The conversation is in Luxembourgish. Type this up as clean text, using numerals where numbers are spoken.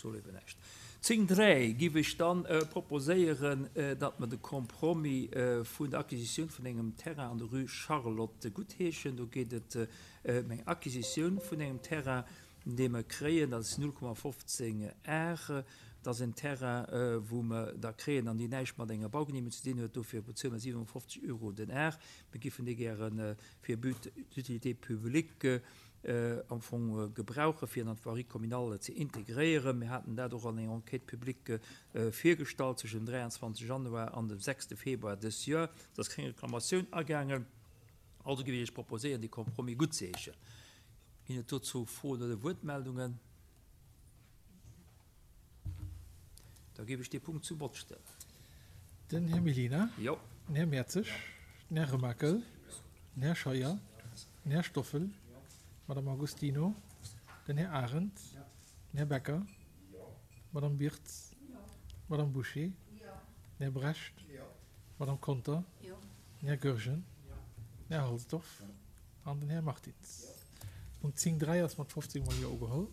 Ech soen eben näischt. 10, 3 giff ech dann proposéieren, datt mer de Compromis vun der Acquisitioun vun engem Terrain an der Rue Charlotte guttheeschen. Do geet et ëm eng Acquisitioun vun engem Terrain, dee mer kréien. Dat ass 0,15 Ar. Dat ass en Terrain, wou mer da kréien an deen näischt mat enger Baugenehmegung ze dinn huet. Dofir bezuele mer 57 Euro den Ar. Mir giffen dee gäre fir But d'utilité publique am Fong gebrauchen, fir en an d'Voirie communale ze integréieren. Mir haten dat och an enger Enquête publique virgestallt zwëschen dem 23 Januar an dem 6 Februar dës Joer. Et ass keng Reklamatioun agaangen. Also géif ech Iech proposéieren, dee Compromis guttzeheeschen. Ginn et dozou Froen oder Wuertmeldungen? Da géif ech dee Punkt zu Vott stellen. Den Här Mellina. Jo. Den Här Mertzig. Den Här Remakel. Den Här Scheuer. Den Här Stoffel. D'Madame Agostino. Den Här Arendt. Den Här Becker. D'Madame Birtz. D'Madame Bouché. Den Här Brecht. D'Madame Conter. Den Här Goergen. Den Här Halsdorf an den Här Martins. Punkt 10, 3 ass mat 15 mol Jo ugeholl.